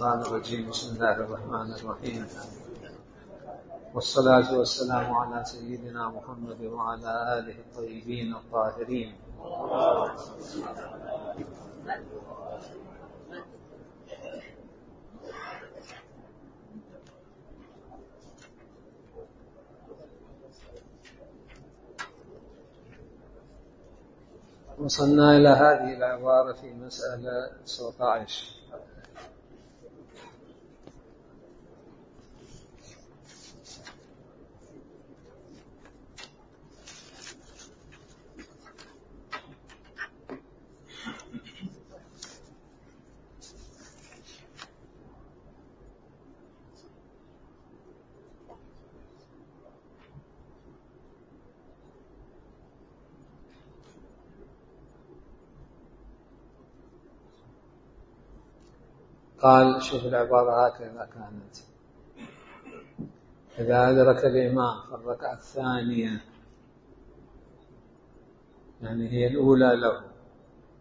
الشيطان الرجيم. بسم الله الرحمن الرحيم. والصلاة والسلام على سيدنا محمد وعلى آله الطيبين الطاهرين. وصلنا إلى هذه العبارة في مسألة 19. قال شوف العبارة هكذا كانت: إذا أدرك الإمام في الركعة الثانية، يعني هي الأولى له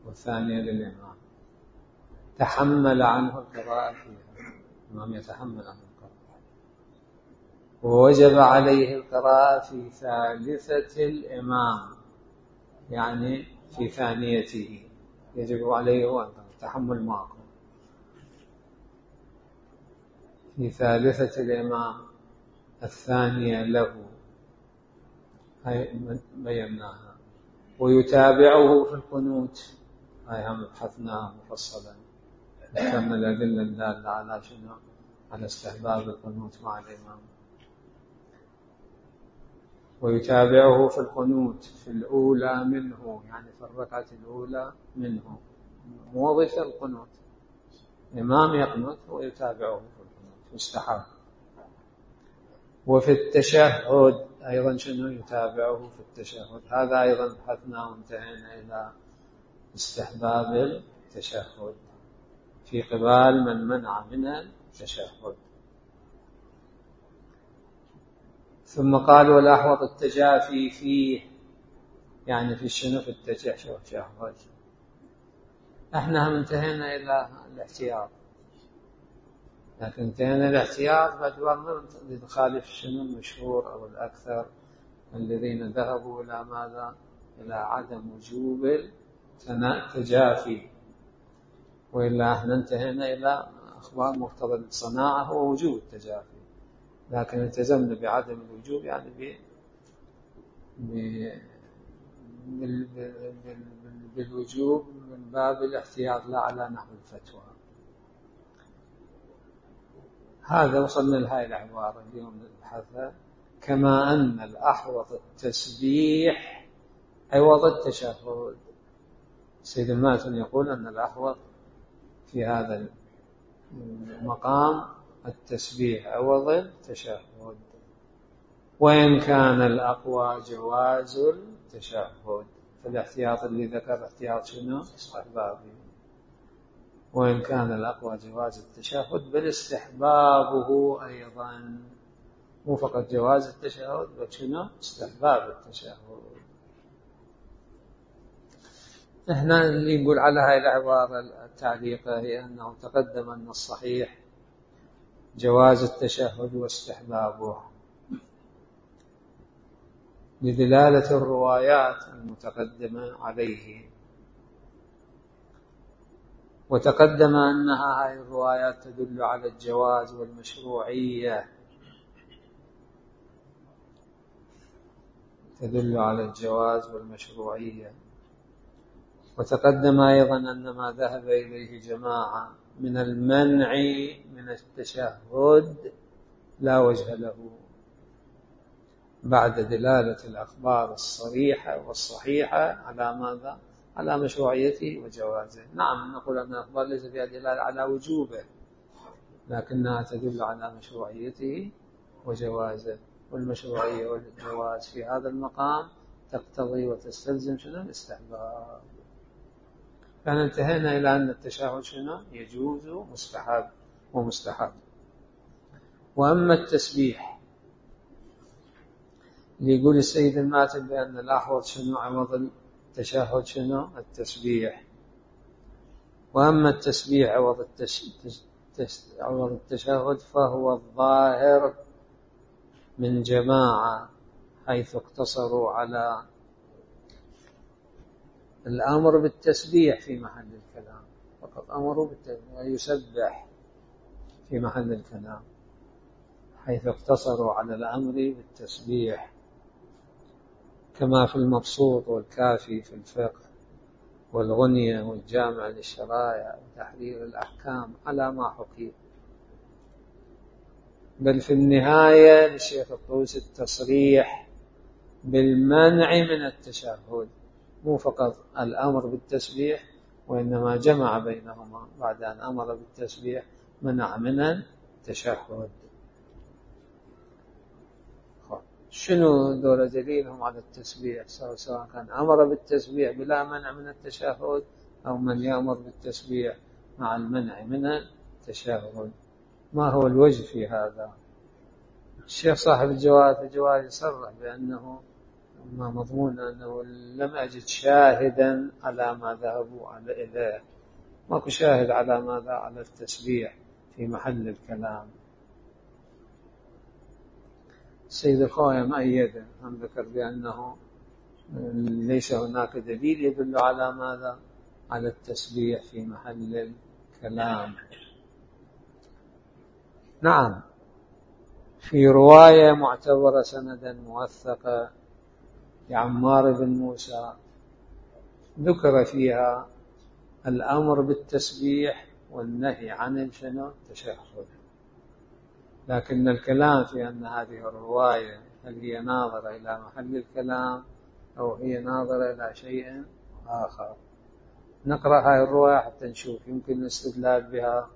والثانية للإمام، تحمل عنه القراءة فيها، الإمام يتحمل عنه القراءة، ووجب عليه القراءة في ثالثة الإمام، يعني في ثانيته يجب عليه التحمل معه في ثالثة الإمام الثانية له، هاي بيناها. ويتابعه في القنوت، هاي هم بحثناها مفصلا، كم الأدلة الدالة على شنو؟ على استحباب القنوت مع الإمام. ويتابعه في القنوت في الأولى منه، يعني في الركعة الأولى منه، موظف القنوت، الإمام يقنط ويتابعه في القنوت، مستحب. وفي التشهد أيضا شنو؟ يتابعه في التشهد، هذا أيضا بحثنا وانتهينا إلى استحباب التشهد في قبال من منع من التشهد. ثم قال: والأحوط التجافي فيه، يعني في شنو؟ في التشهد. احنا هم انتهينا إلى الاحتياط، لكن انتهينا الاحتياط باعتبار نخالف شنو المشهور أو الأكثر الذين ذهبوا إلى ماذا؟ إلى عدم وجوب التجافي، وإلا احنا انتهينا إلى أخبار مقتضى الصناعة هو وجوب التجافي، لكن التزمنا بعدم الوجوب، يعني بالوجوب من باب الاحتياط لا على نحو الفتوى. هذا وصلنا لهذه العبارة اليوم نبحثها. كما أن الأحوط التسبيح عوض التشهد. سيد الماتن يقول أن الأحوط في هذا المقام التسبيح عوض التشهد، وإن كان الأقوى جواز التشهد، فالاحتياط اللي ذكر احتياط شنو؟ استحبابي. وإن كان الأقوى جواز التشهد، بل استحبابه أيضا، مو فقط جواز التشهد بل شنو؟ استحباب التشهد. احنا اللي نقول على هاي العبارة التعليقة هي أنه تقدم أن الصحيح جواز التشهد واستحبابه لدلالة الروايات المتقدمة عليه، وتقدم أنها هاي الروايات تدل على الجواز والمشروعية، تدل على الجواز والمشروعية. وتقدم أيضا أن ما ذهب إليه جماعة من المنع من التشهد لا وجه له بعد دلالة الأخبار الصريحة والصحيحة على ماذا؟ على مشروعيته وجوازه. نعم، نقول أن الأخبار ليس فيها دلالة على وجوبه، لكنها تدل على مشروعيته وجوازه، والمشروعية والجواز في هذا المقام تقتضي وتستلزم شنو؟ الاستحباب. فانتهينا إلى أن التشهد شنو؟ يجوز مستحب ومستحب. وأما التسبيح اللي يقول السيد الماتن بأن الأحوط شنو؟ عوض التشهد شنو؟ التسبيح. وأما التسبيح عوض التشهد فهو الظاهر من جماعة، حيث اقتصروا على الأمر بالتسبيح في محل الكلام، فقط أمروا بالتسبيح ويسبح في محل الكلام، حيث اقتصروا على الأمر بالتسبيح، كما في المبسوط والكافي في الفقه، والغنية والجامع للشرائع وتحرير الأحكام على ما حكي. بل في النهاية للشيخ الطوسي التصريح بالمنع من التشهد، مو فقط الأمر بالتسبيح، وإنما جمع بينهما بعد أن أمر بالتسبيح منع من التشهد. شنو دول دليلهم على التسبيح؟ سواء كان أمر بالتسبيح بلا منع من التشهد أو من يأمر بالتسبيح مع المنع من التشهد. ما هو الوجه في هذا؟ الشيخ صاحب الجواد يصرح بأنه ما مضمون أنه لم أجد شاهدا على ما ذهبوا إليه، ماكو شاهد على ماذا؟ على التسبيح في محل الكلام. السيد الخوئي مؤيد هم ذكر بأنه ليس هناك دليل يدل على ماذا؟ على التسبيح في محل الكلام. نعم، في رواية معتبرة سندا موثقة لعمار بن موسى ذكر فيها الأمر بالتسبيح والنهي عن التشهد، لكن الكلام في أن هذه الرواية هل هي ناظرة إلى محل الكلام أو هي ناظرة إلى شيء آخر. نقرأ هذه الرواية حتى نشوف يمكن الاستدلال بها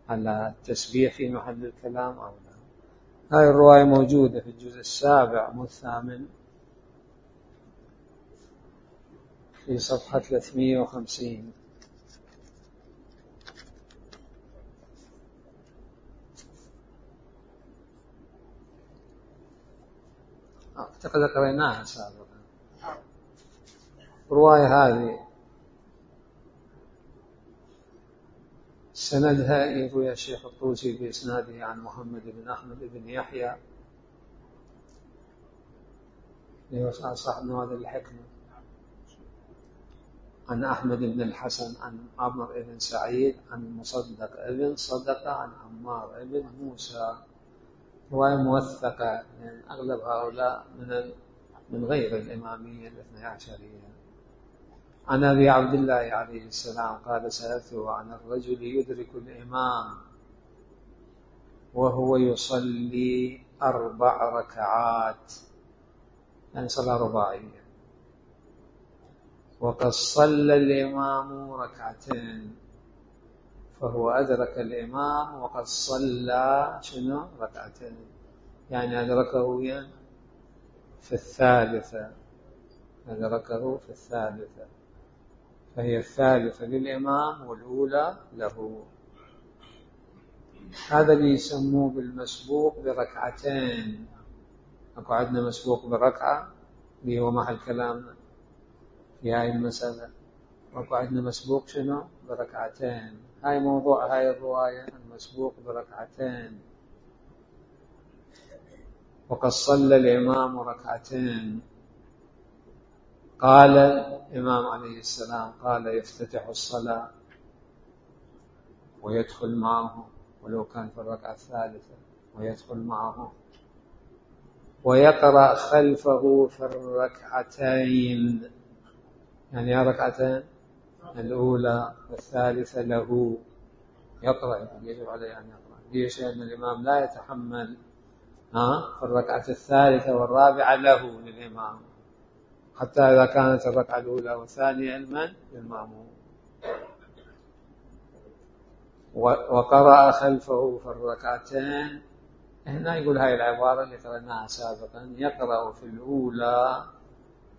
على التسبيح في محل الكلام أو لا. هذه الرواية موجودة في الجزء 7 والثامن في صفحة 350. أعتقد قرأناها سابقا. الرواية هذه سندها يروي الشيخ الطوسي بإسناده عن محمد بن أحمد بن يحيى صاحب نوادر الحكمة، عن أحمد بن الحسن عن عمرو بن سعيد عن مصدق ابن صدقة عن عمار بن موسى. رواية موثقة، يعني أغلب هؤلاء من غير الإمامية الاثنى عشرية. عن أبي عبد الله عليه السلام قال: سألته عن الرجل يدرك الإمام وهو يصلي 4 ركعات، يعني صلاة رباعية، وقد صلى الإمام 2 ركعتين، فهو أدرك الإمام وقد صلى 2 ركعتين، يعني أدركه في الثالثة، أدركه في الثالثة، فهي الثالثة للإمام والأولى له. هذا اللي يسموه بالمسبوق بركعتين. أكو عندنا مسبوق بركعة اللي هو محل كلامنا في هاي المسألة، وأكو عندنا مسبوق بركعتين. هاي موضوع هاي الرواية، المسبوق بركعتين. وقد صلى الإمام 2 ركعتين. قال الإمام عليه السلام قال: يفتتح الصلاة ويدخل معه ولو كان في الركعة الثالثة، ويدخل معه ويقرأ خلفه في 2 يعني 2 ركعتين، الأولى والثالثة له، يقرأ، يجب عليه أن يقرأ. ليش؟ لأن الإمام لا يتحمل في الركعة الثالثة والرابعة له للإمام، حتى إذا كانت الركعة الأولى والثانية للمأموم. وقرأ خلفه في 2 هنا يقول هاي العبارة اللي قرأناها سابقا: يقرأ في الأولى،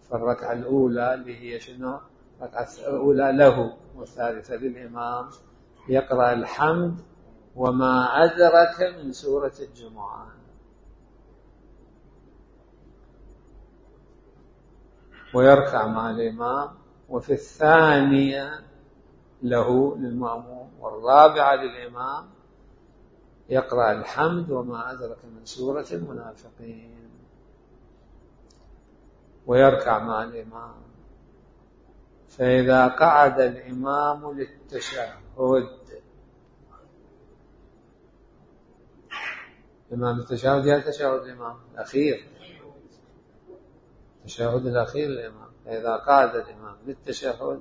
في الركعة الأولى اللي هي الركعة الأولى له والثالثة للإمام، يقرأ الحمد وما أدرك من سورة الجمعة، ويركع مع الإمام. وفي الثانية له للمأموم والرابعة للإمام يقرأ الحمد وما أدرك من سورة المنافقين، ويركع مع الإمام. فإذا قعد الإمام للتشهد، الإمام التشهد يا تشهد الإمام الأخير، التشهد الأخير الإمام. فإذا قعد الإمام للتشهد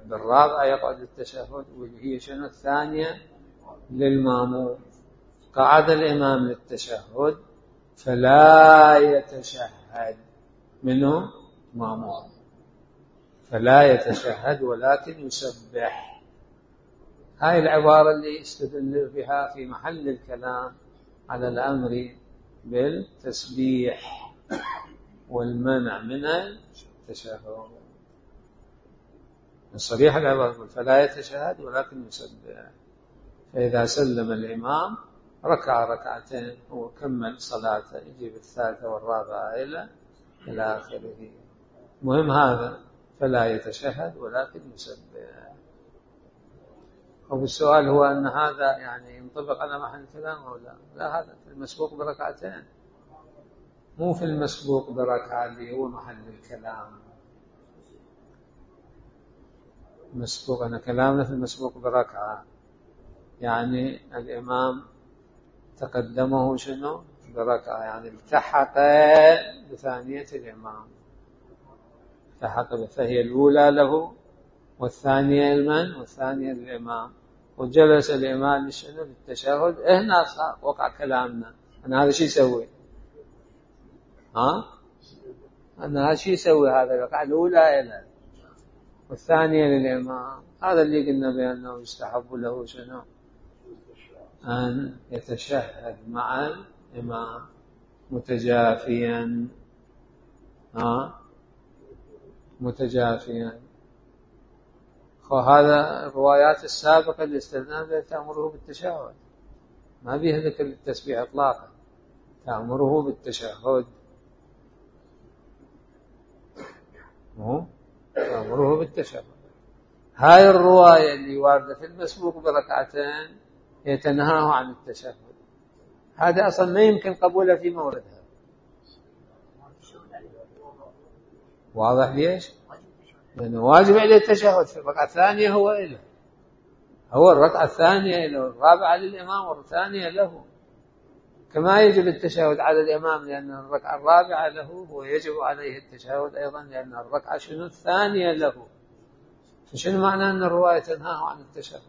بالرابعة يقعد للتشهد، واللي هي شنو الثانية للماموم. قعد الإمام للتشهد فلا يتشهد منه ماموم، فلا يتشهد ولكن يسبح. هاي العبارة اللي استدل بها في محل الكلام على الأمر بالتسبيح والمنع من التشهد. الصريح العبارة فلا يتشهد ولكن يسبح. فإذا سلم الإمام ركع ركعتين وكمل صلاته، يجي بالثالثة والرابعة إلى آخره. مهم هذا، فلا يتشهد ولكن يسبح. والسؤال هو أن هذا يعني ينطبق على محل الكلام أو لا؟ لا، هذا في المسبوق بركعتين، مو في المسبوق بركعة اللي هو محل الكلام. مسبوق أنا كلامنا في المسبوق بركعة، يعني الإمام تقدمه شنو بركعة، يعني التحق بثانية الإمام، التحق، فهي الأولى له والثانية لمن؟ والثانية للإمام. وجلس الإمام شنو للتشهد. هنا وقع كلامنا أنا هذا شو يسوي؟ أنا هذا شو يسوي؟ هذا الركعة الأولى إلى والثانية للإمام. هذا اللي قلنا بأنه يستحب له شنو؟ أن يتشهد مع الإمام متجافيا، متجافيا. وهذا الروايات السابقة اللي استدلنا تأمره بالتشهد، ما بيها ذكر التسبيح إطلاقا، تأمره بالتشهد، تأمره بالتشهد. هاي الرواية اللي واردة في المسبوق بركعتين يتنهاه عن التشهد، هذا أصلا ما يمكن قبوله في موردها. واضح ليش؟ لأنه واجب عليه التشهد في الركعة الثانية، هو الركعة الثانية له، الرابعة للإمام والثانية له، كما يجب التشهد على الإمام لأن الركعة الرابعة له، هو يجب عليه التشهد أيضا لأن الركعة شنو الثانية له. فشنو معنى أن الرواية تنهاه عن التشهد؟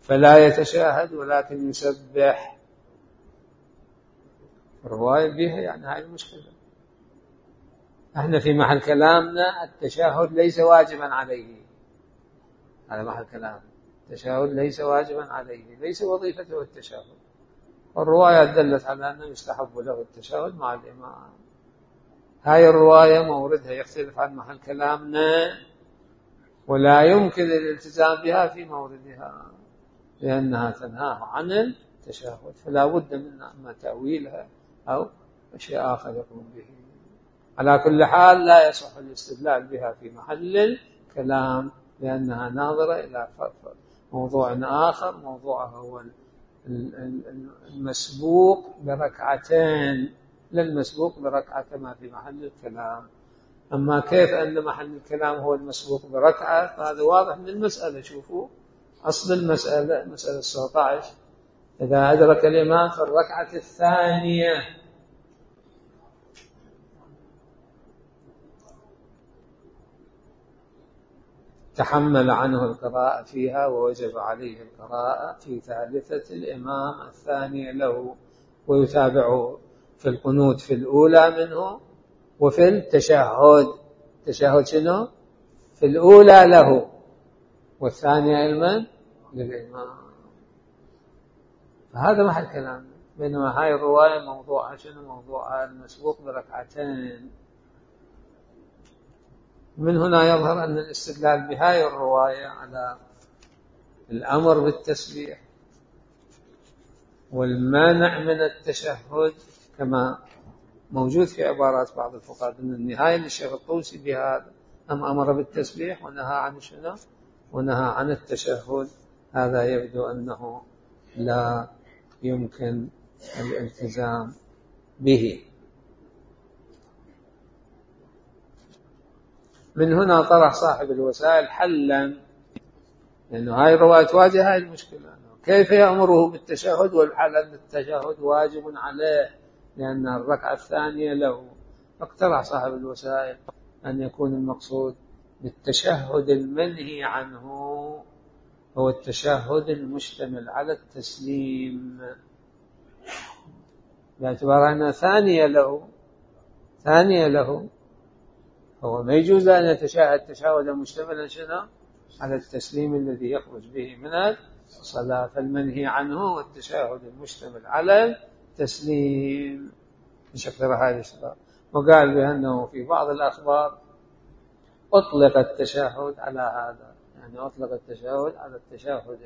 فلا يتشهد ولكن يسبح، الرواية بها يعني هاي المشكلة. احنا في محل كلامنا التشهد ليس واجبا عليه، على محل كلام التشهد ليس واجبا عليه، ليس وظيفته التشهد. والرواية دلت على أنه يستحب له التشهد مع الإمام. هاي الرواية موردها يختلف عن محل كلامنا، ولا يمكن الالتزام بها في موردها لأنها تنهاه عن التشهد، فلا بد من أما تأويلها أو شيء آخر يقوم به. على كل حال لا يصح الاستدلال بها في محل الكلام لأنها ناظرة إلى موضوع آخر، موضوعه هو المسبوق بركعتين، لا المسبوق بركعة كما في محل الكلام. أما كيف أن محل الكلام هو المسبوق بركعة فهذا واضح من المسألة. شوفوا أصل المسألة، مسألة 19، إذا أدرك الإمام في الركعة الثانية تحمل عنه القراءة فيها ووجب عليه القراءة في ثالثة الإمام الثانية له، ويتابعه في القنوت في الأولى منه وفي التشهد. التشهد شنو؟ في الأولى له والثانية علما للإمام. فهذا محل كلام. بينما هاي الرواية موضوعها شنو؟ موضوعها المسبوق بركعتين. من هنا يظهر أن الاستدلال بهاي الرواية على الأمر بالتسبيح والمانع من التشهد كما موجود في عبارات بعض الفقهاء من النهاية للشيخ الطوسي بهذا، أمر بالتسبيح ونهى عن شنو؟ ونهى عن التشهد. هذا يبدو أنه لا يمكن الالتزام به. من هنا طرح صاحب الوسائل حلا، لأنه هاي الرواية تواجه هاي المشكلة، كيف يأمره بالتشهد والحال أن التشهد واجب عليه لأن الركعة الثانية له. فاقترح صاحب الوسائل أن يكون المقصود بالتشهد المنهي عنه هو التشهد المشتمل على التسليم، باعتبار أنها ثانية له، هو ما يجوز أن يتشهد تشهدا مشتملا شنو على التسليم الذي يخرج به من الصلاة، فالمنهي عنه هو التشهد المشتمل على التسليم بشكل هذه الصلاة. وقال بأنه في بعض الأخبار أطلق التشهد على هذا، يعني أطلق التشهد على التشهد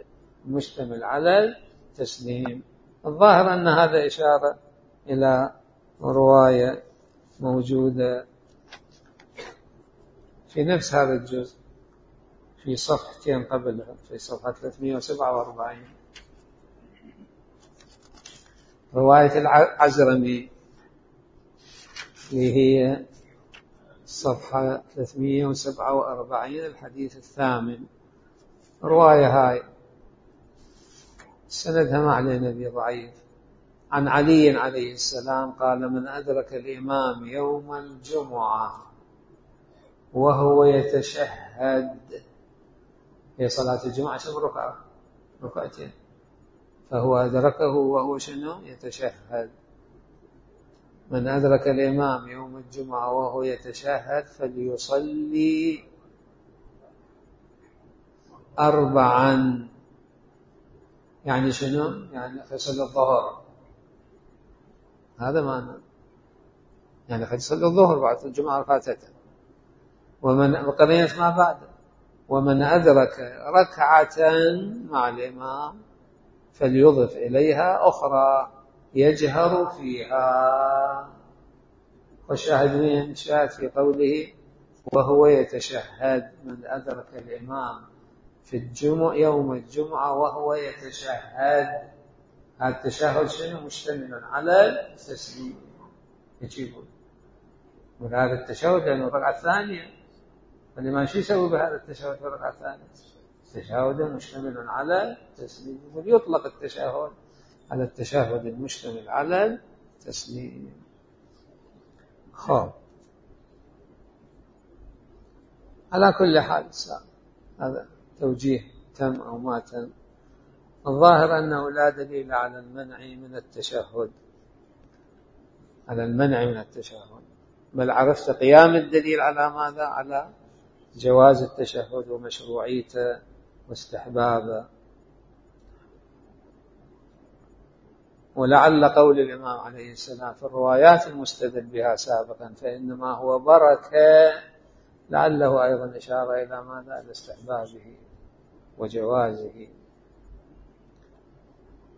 المشتمل على التسليم. الظاهر أن هذا إشارة إلى رواية موجودة في نفس هذا الجزء في صفحتين قبلها، في صفحة 347، رواية العزرمي اللي هي صفحة 347 الحديث الثامن. رواية هاي سندها ما علينا به ضعيف، عن علي عليه السلام قال: من أدرك الإمام يوم الجمعة وهو يتشهد، هي صلاة الجمعة كم ركعة؟ ركعتين، فهو أدركه وهو شنو؟ يتشهد. من أدرك الإمام يوم الجمعة وهو يتشهد فليصلي 4، يعني شنو؟ يعني فصل الظهر، هذا معنى، يعني قد يصلي الظهر بعد الجمعة ركعتين. ومن بقرية ما بعد، ومن أدرك ركعة مع الإمام فليضف إليها أخرى يجهر فيها. والشاهد من شاهد في قوله وهو يتشهد، من أدرك الإمام في الجمعة يوم الجمعة وهو يتشهد، هذا التشهد شنو؟ مشتمل على التسليم، يجيبون وهذا التشهد لأنه الركعة الثانية، فالإمام شو يسوي بهذا التشهد في الركعة الثانية؟ تشهد مشتمل على التسليم، ويطلق التشهد على التشهد المشتمل على التسليم. على كل حال هذا توجيه تم أو ما تم. الظاهر أنه لا دليل على المنع من التشهد، بل عرفت قيام الدليل على ماذا؟ على جواز التشهد ومشروعيته واستحبابه. ولعل قول الإمام عليه السلام في الروايات المستدل بها سابقا فإنما هو بركة، لعله أيضا إشارة إلى ماذا؟ إلى استحبابه وجوازه.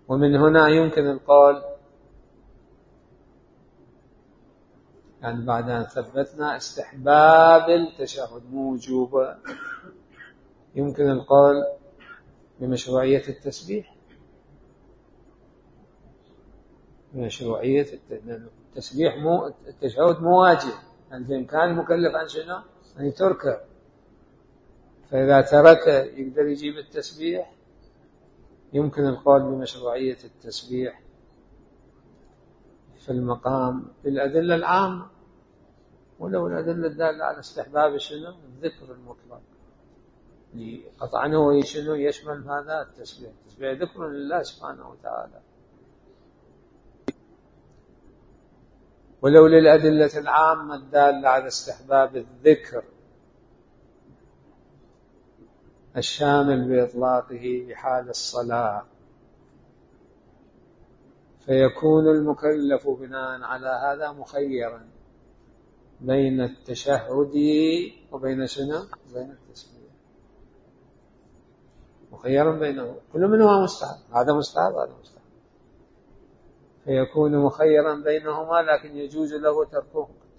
ومن هنا يمكن القول، يعني بعد أن ثبتنا استحباب التشهد موجوبا، يمكن القول بمشروعية التسبيح، مشروعية التسبيح التشهد مو واجب، يعني بإمكان المكلف عن شنو؟ أن يتركه، فإذا ترك يقدر يجيب التسبيح. يمكن القول بمشروعية التسبيح في المقام بالأدلة العامة، ولو الأدلة الدالة على استحباب شنو؟ الذكر المطلق، قطعا هو شنو يشمل هذا التسبيح، التسبيح ذكر لله سبحانه وتعالى. ولو للأدلة العامة الدالة على استحباب الذكر الشامل بإطلاقه بحال الصلاة، فيكون المكلف بناء على هذا مخيرا بين التشهد وبين شنو؟ بين التسبيح، مخيرا بينه، كل منهما مستحب، هذا مستحب هذا مستحب، فيكون مخيرا بينهما، لكن يجوز له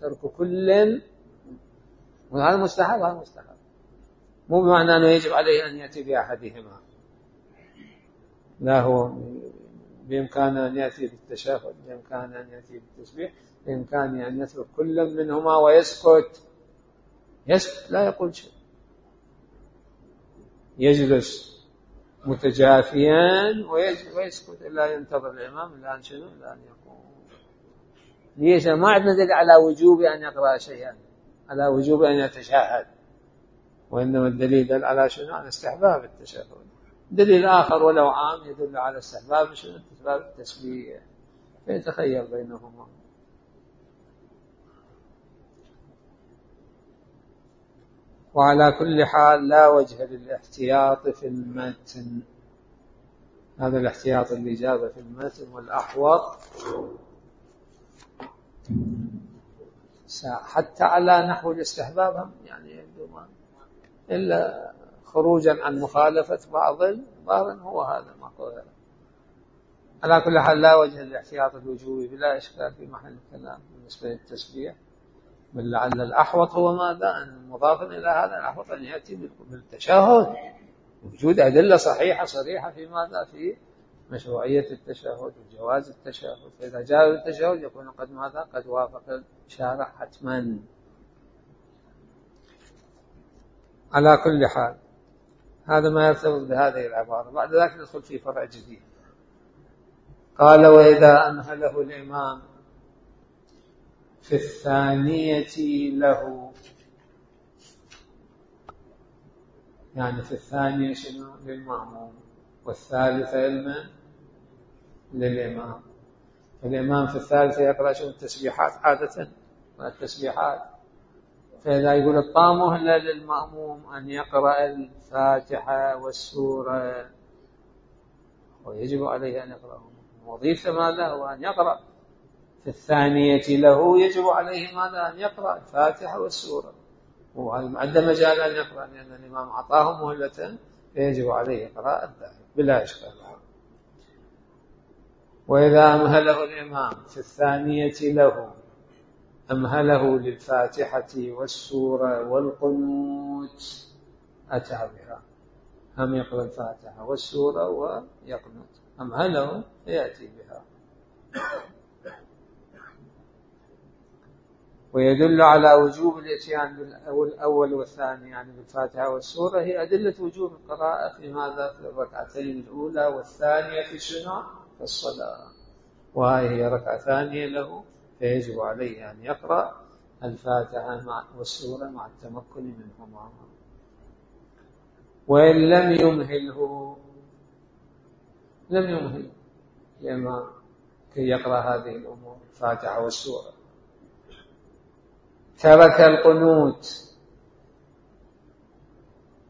ترك كل، وهذا مستحب هذا مستحب، مو بمعنى أنه يجب عليه أن يأتي بأحدهما، لا، هو بإمكانه أن يأتي بالتشهد، بإمكانه أن يأتي بالتسبيح، بإمكانه أن يترك كل منهما ويسكت، لا يقول شيء، يجلس متجافيا ويسكت إلا ينتظر الإمام إلى أن شنو؟ إلى أن يقوم. ليش؟ ما عندنا دليل على وجوب أن يقرأ شيئا، على وجوب أن يتشهد، وإنما الدليل على شنو؟ على استحباب التشهد. دليل آخر ولو عام يدل على استحباب شنو؟ استحباب التسبيح، فيتخير بينهما. وعلى كل حال لا وجه للاحتياط في المتن، هذا الاحتياط اللي جابه في المتن. والأحوط حتى على نحو الاستحباب يعني يبدو ما إلا خروجا عن مخالفة بعض هو هذا ما قوله. على كل حال لا وجه للاحتياط الوجوبي بلا إشكال في محل الكلام بالنسبة للتسبيح، بل لعل الأحوط هو ماذا؟ أن مضافا إلى هذا الأحوط أن يأتي بالتشهد، وجود أدلة صحيحة صريحة في ماذا؟ في مشروعية التشهد وجواز التشهد. فإذا جاء التشهد يكون قد ماذا؟ قد وافق الشارع حتما. على كل حال هذا ما يرتبط بهذه العبارة. بعد ذلك ندخل في فرع جديد. قال: وإذا أمهله الإمام في الثانية له، يعني في الثانية شنو؟ للمأموم، والثالثة للإمام. الإمام في الثالثة يقرأ شنو؟ التسبيحات عادة، والتسبيحات. فإذا يقول الطامة للمأموم أن يقرأ الفاتحة والسورة، ويجب عليه أن يقرأهم. وظيفة ماذا؟ هو أن يقرأ. في الثانية له يجب عليه ماذا؟ أن يقرأ الفاتحة والسورة، وعنده مجال أن يقرأ لأن الإمام أعطاه مهلة، فيجب عليه قراءة ذلك بلا إشكال. وإذا أمهله الإمام في الثانية له، أمهله للفاتحة والسورة والقنوت، أتى بها. هم يقرأ الفاتحة والسورة ويقنط، أمهله يأتي بها. ويدل على وجوب الاتيان بالأول والثاني، يعني بالفاتحة والسورة، هي أدلة وجوب القراءة في ماذا؟ في الركعتين الأولى والثانية في شنو؟ في الصلاة. وهي هي ركعة ثانية له، فيجب عليه أن يقرأ الفاتحة والسورة مع التمكن منهما. وإن لم يمهله لما كي يقرأ هذه الأمور الفاتحة والسورة، ترك القنوت.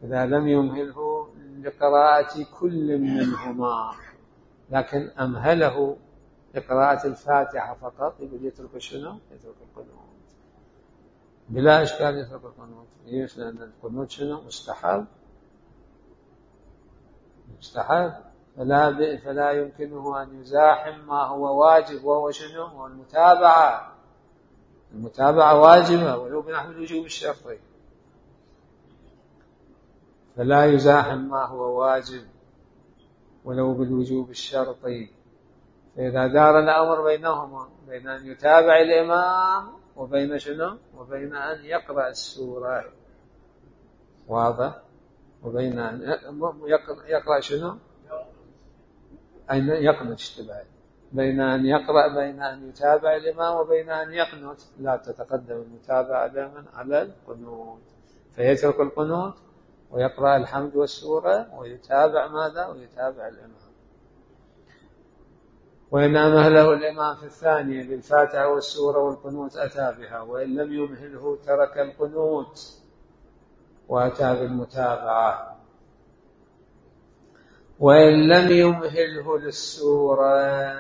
إذا لم يمهله لقراءة كل منهما، لكن أمهله لقراءة الفاتحة فقط، يقول يترك شنو؟ يترك القنوت بلا إشكال، يترك القنوت. ليش؟ لأن القنوت شنو؟ مستحب، فلا يمكنه أن يزاحم ما هو واجب، وهو شنو؟ هو المتابعة واجبة ولو بنحو الوجوب الشرطي، فلا يزاحم ما هو واجب ولو بالوجوب الشرطي. فإذا دار الأمر بينهما، بين أن يتابع الإمام وبين شنو؟ وبين أن يقرأ السورة، واضح؟ وبين أن يقرأ شنو؟ أن يقنط، اشتباه بين أن يقرأ، بين أن يتابع الإمام وبين أن يقنط، لا تتقدم المتابعة دائما على القنوت، فيترك القنوت ويقرأ الحمد والسورة ويتابع ماذا؟ ويتابع الإمام. وإن أمهله الإمام في الثانية بالفاتحة والسورة والقنوت أتى بها، وإن لم يمهله ترك القنوت وأتى بالمتابعة. وإن لم يمهله للسورة،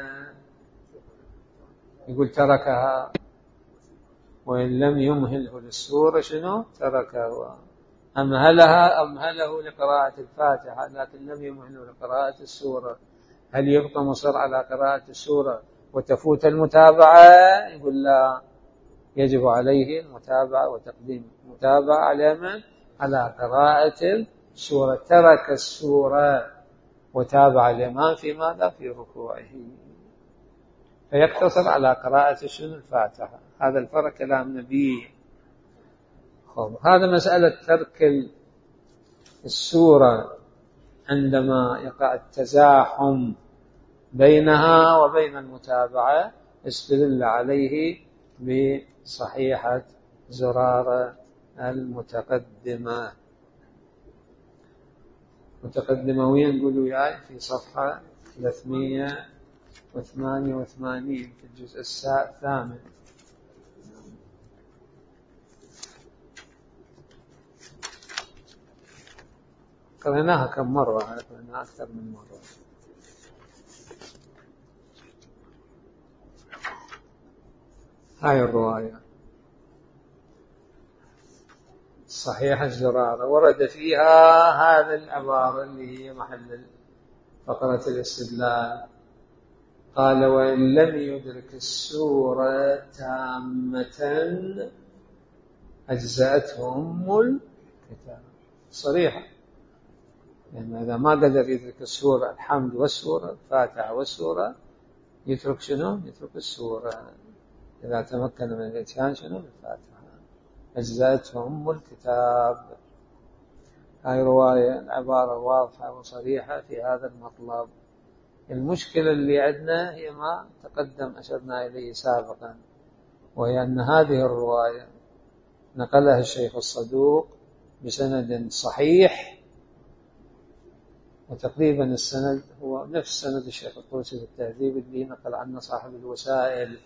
يقول تركها. وإن لم يمهله للسورة شنو؟ تركها. أمهله لقراءة الفاتحة لكن لم يمهله لقراءة السورة، هل يبقى مصر على قراءة السورة وتفوت المتابعة؟ يقول لا، يجب عليه المتابعة وتقديم المتابعة على من؟ على قراءة السورة. ترك السورة وتابع الإمام في ماذا؟ في ركوعه، فيقتصر على قراءة شنو؟ الفاتحة. هذا الفرق كلام نبي. هذا مسألة ترك السورة عندما يقع التزاحم بينها وبين المتابعة استدل عليه بصحيحة زرارة المتقدمة. متقدمة وين؟ نقول وياي في صفحة 388 في الجزء الثامن. قرأناها كم مرة؟ قرأناها أكثر من مرة. هاي الرواية صحيحة الزرارة ورد فيها هذا العبارة اللي هي محل فقرة الاستدلال. قال: وإن لم يدرك السورة تامة أجزأته أم الكتاب. صريحة، يعني إذا ما قدر يدرك السورة، الحمد والسورة، الفاتحة والسورة، يترك شنو؟ يترك السورة. إذا تمكن من الإتيان شنو؟ الفاتحة. أجزأته أم الكتاب. هاي رواية، العبارة واضحة وصريحة في هذا المطلب. المشكلة اللي عندنا هي ما تقدم أشرنا إليه سابقا، وهي أن هذه الرواية نقلها الشيخ الصدوق بسند صحيح، وتقريبا السند هو نفس سند الشيخ الطوسي في التهذيب اللي نقل عنه صاحب الوسائل،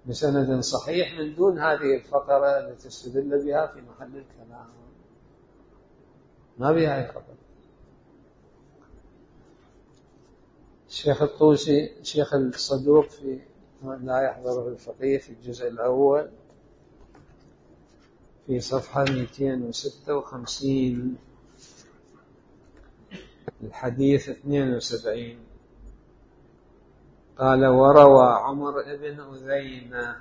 بسند صحيح من دون هذه الفقرة التي تستدل بها في محل الكلام، ما بها أي خطر. الشيخ الطوسي، الشيخ الصدوق في لا يحضره الفقيه في الجزء الأول في صفحة 256 الحديث 72 قال: وروى عمر بن أذينة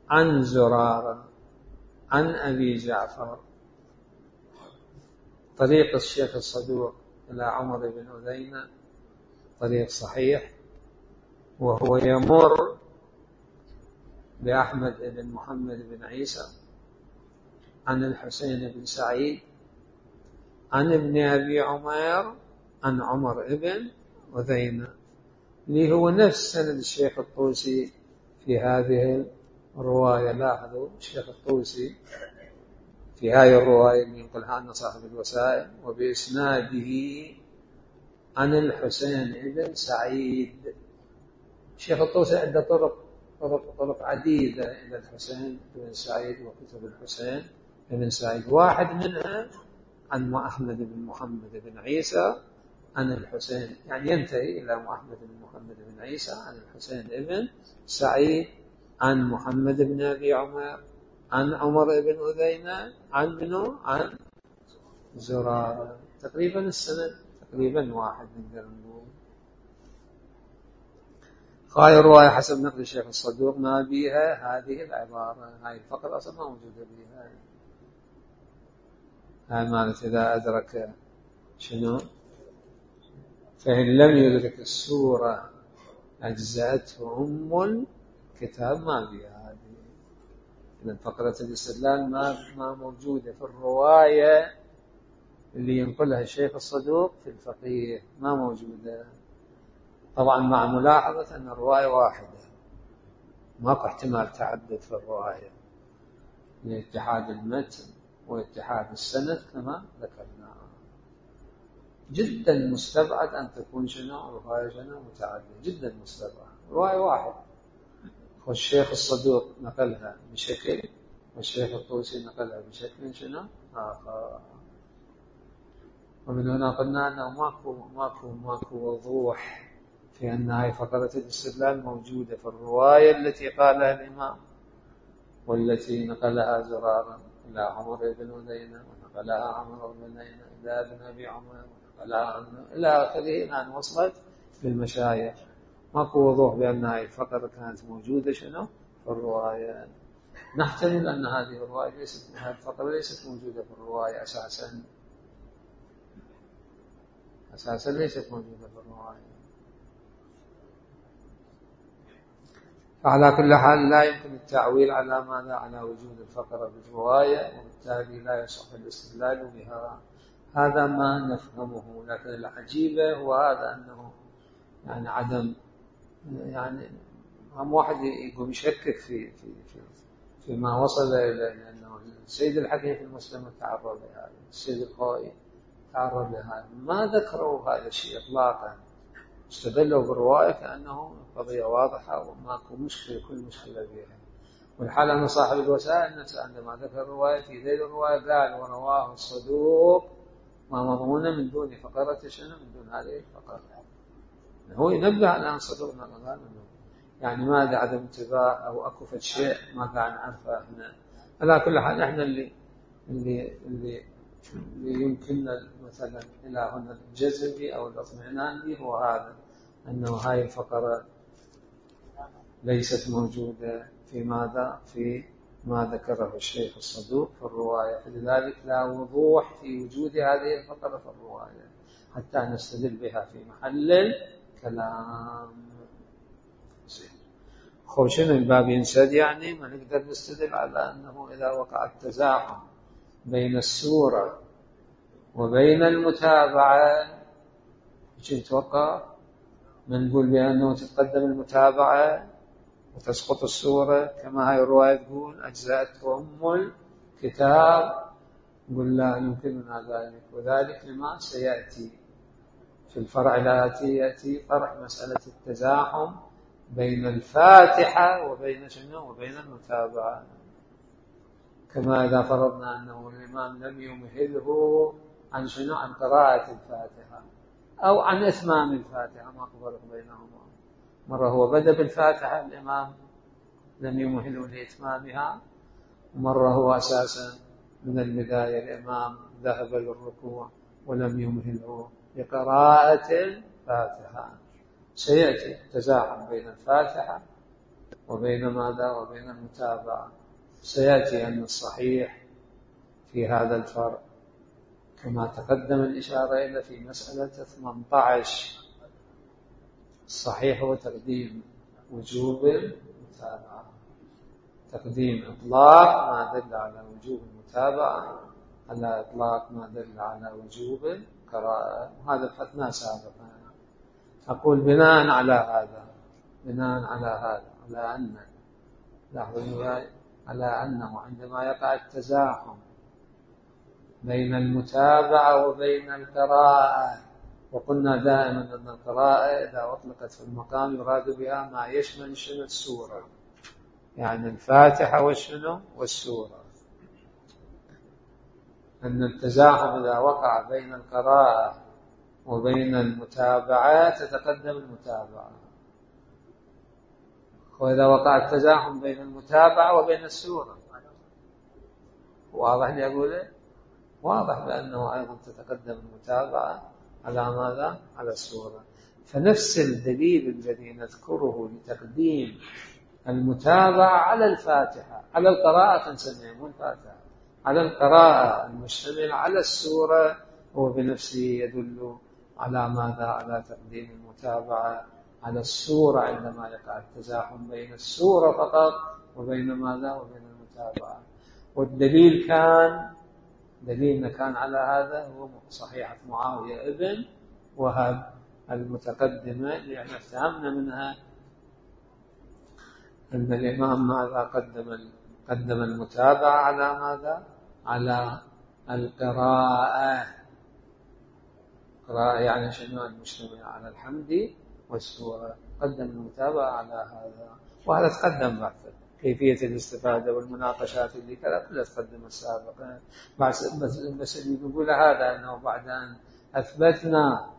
عن زرارة عن أبي جعفر. طريق الشيخ الصدوق إلى عمر بن أذينة طريق صحيح، وهو يمر بأحمد بن محمد بن عيسى عن الحسين بن سعيد عن ابن أبي عمير عن عمر بن أذينة، اللي هو نفس سند الشيخ الطوسي في هذه الرواية. لاحظوا الشيخ الطوسي في هذه الرواية اللي ينقلها عن صاحب الوسائل وبإسناده عن الحسين بن سعيد. الشيخ الطوسي عنده طرق عديدة إلى الحسين بن سعيد وكتب الحسين بن سعيد، واحد منها عن أحمد بن محمد بن عيسى عن الحسين، يعني ينتهي إلى أحمد بن محمد بن عيسى عن الحسين بن سعيد عن محمد بن أبي عمر عن عمر بن أذينة عن منه عن زرارة. تقريبا السند تقريبا واحد نقدر نقول. هاي الرواية حسب نقل الشيخ الصدوق ما بيها هذه العبارة، هاي الفقرة أصلا ما موجودة بيها. هاي مالت إذا أدرك شنو؟ فإن لم يدرك السورة أجزأته أم الكتاب، ما بيها هذه. إذن فقرة الاستدلال ما موجودة في الرواية اللي ينقلها الشيخ الصدوق في الفقيه، ما موجودة. طبعا مع ملاحظة أن الرواية واحدة، ماكو احتمال تعدد في الرواية لاتحاد المتن واتحاد السند كما ذكرنا. جدا مستبعد أن تكون شنو رواية شنو متعددة، جدا مستبعد. رواية واحد، والشيخ الصدوق نقلها بشكل والشيخ الطوسي نقلها بشكل شنو آخر. ومن هنا قلنا أنه ماكو وضوح في أن هاي فقرة الاستدلال موجودة في الرواية التي قالها الإمام والتي نقلها زرارة إلى عمر بن أذينة ونقلها عمر بن أذينة إلى ابن أبي عمر ونقلها إلى آخره، أن وصلت للمشايخ. ماكو وضوح بأن هاي الفقرة كانت موجودة شنو في الرواية. نحتمل أن هذه الرواية هذه الفقرة ليست موجودة في الرواية أساسا. أساسا ليست موجودة في الرواية. فعلى كل حال لا يمكن التعويل على ماذا؟ على وجود الفقرة بالرواية، وبالتالي لا يصح الاستدلال بها. هذا ما نفهمه. لكن العجيبة هو هذا، أنه يعني عدم، يعني هم واحد يقوم يشكك في ما وصل إلى أنه السيد الحكيم في المسلم تعرض لهذا، السيد الخوئي تعرض لهذا، ما ذكروا هذا الشيء إطلاقا. استدلوا بالرواية كأنه قضية واضحة وماكو مشكلة، كل مشكلة فيها. والحال أن صاحب الوسائل نفسه عندما ذكر الرواية في ذيل الرواية قال ورواه الصدوق ما مضمون من دون فقرة شنو، من دون هذه الفقرة. هو ينبه على أن صدوق ما يعني ماذا عدم انتباه أو أكو شيء ما قاعد نعرفه احنا. على كل حال احنا اللي يمكننا مثلا إلى هنا الجزم به أو الاطمئنان به هو هذا، أنه هاي الفقرة ليست موجودة في ماذا؟ في ما ذكره الشيخ الصدوق في الرواية. فلذلك لا وضوح في وجود هذه الفقرة في الرواية حتى نستدل بها في محل الكلام. خوشنا الباب ينسد، يعني ما نقدر نستدل على أنه إذا وقع التزاحم بين السورة وبين المتابعة يتوقع من نقول بأنه تتقدم المتابعة وتسقط السورة كما هاي الرواية تقول أجزأتهم الكتاب. نقول لا يمكننا ذلك، وذلك لما سيأتي في الفرع الآتي، يأتي فرع مسألة التزاحم بين الفاتحة وبين شنو؟ وبين المتابعة. كما إذا فرضنا أنه الإمام لم يمهله عن شنو؟ عن قراءة الفاتحة أو عن إتمام الفاتحة، ما فرق بينهما. مرة هو بدأ بالفاتحة الإمام لم يمهله لإتمامها، ومرة هو أساسا من البداية الإمام ذهب للركوع ولم يمهله لقراءة الفاتحة. سيأتي تزاحم بين الفاتحة وبين ماذا؟ وبين المتابعة. سيأتي أن الصحيح في هذا الفرق كما تقدم الإشارة إلى في مسألة 18، الصحيح هو تقديم وجوب المتابعة، تقديم إطلاق ما دل على وجوب المتابعة على إطلاق ما دل على وجوب القراءة. وهذا بحثناه سابقا. أقول بناء على هذا، على أن على أنه عندما يقع التزاحم بين المتابعة وبين القراءة، وقلنا دائما أن القراءة إذا أطلقت في المقام يراد بها ما يشمل شنو؟ السورة، يعني الفاتحة والسورة. أن التزاحم إذا وقع بين القراءة وبين المتابعة تتقدم المتابعة، وإذا وقع التزاحم بين المتابعة وبين السورة، واضح لي أقوله؟ واضح بأنه أيضا تتقدم المتابعة على ماذا؟ على السورة. فنفس الدليل الذي نذكره لتقديم المتابعة على الفاتحة، على القراءة نسميه مو الفاتحة، على القراءة المشتمل على السورة، هو بنفسه يدل على ماذا؟ على تقديم المتابعة على السورة عندما يقع التزاحم بين السورة فقط وبين ماذا؟ وبين المتابعة. والدليل دليلنا كان على هذا هو صحيحة معاوية ابن وهب المتقدمة، لأن فهمنا منها أن الإمام ماذا؟ قدم المتابعة على ماذا؟ على القراءة. قراءة يعني شنو؟ المشتمل على الحمد والسورة. قدم المتابعة على هذا، وهذا تقدم بعد كيفية الاستفادة والمناقشات اللي كذا كلها تقدم السابقا. بس اللي نقول هذا أنه بعد أن أثبتنا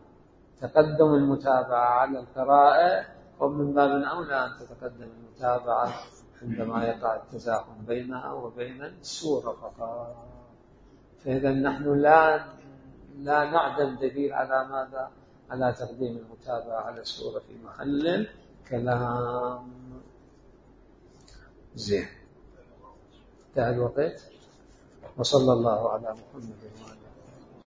تقدم المتابعة على القراءة، ومن باب أولى أن تتقدم المتابعة عندما يقع التزاحم بينها وبين السورة فقط. فإذا نحن لا نعدم دليل على ماذا؟ على تقديم المتابعة على السورة في محل كلام. زين، انتهى الوقت. وصلى الله على محمد وعلى